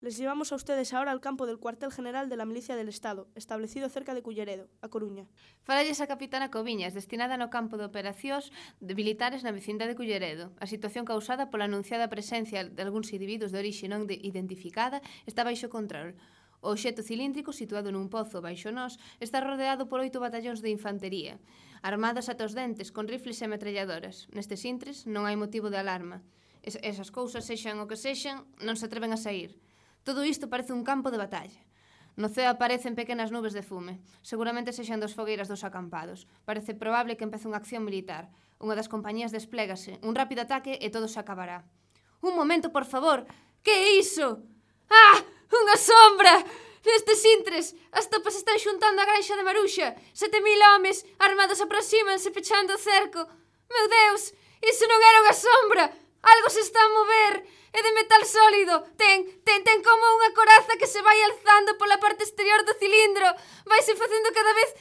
Les llevamos a ustedes ahora al campo del cuartel general de la Milicia del Estado, establecido cerca de Culleredo, a Coruña. Falalles a capitana Coviñas, destinada no campo de operacións de militares na vecindade de Culleredo. A situación causada pola anunciada presencia de algúns individuos de orixe non identificada está baixo control. O obxecto cilíndrico, situado nun pozo baixo nós, está rodeado por 8 batallóns de infantería, armados ata os dentes con rifles e ametralladoras. Nestes intres non hai motivo de alarma. Esas cousas, sexan o que sexan, non se atreven a sair. Todo isto parece un campo de batalla. No ceo aparecen pequenas nubes de fume. Seguramente sexan dos fogueiras dos acampados. Parece probable que empece unha acción militar. Unha das compañías desplégase. Un rápido ataque e todo se acabará. Un momento, por favor. Que é iso? Ah! Unha sombra! Nestes intres, as tropas están xuntando a granxa de Maruxa. 7.000 homes armados aproxímanse pechando o cerco. Meu Deus! Iso non era unha sombra! Algo se está a mover! É de metal sólido! Ten como unha coraza que se vai alzando pola parte exterior do cilindro! Vaise facendo cada vez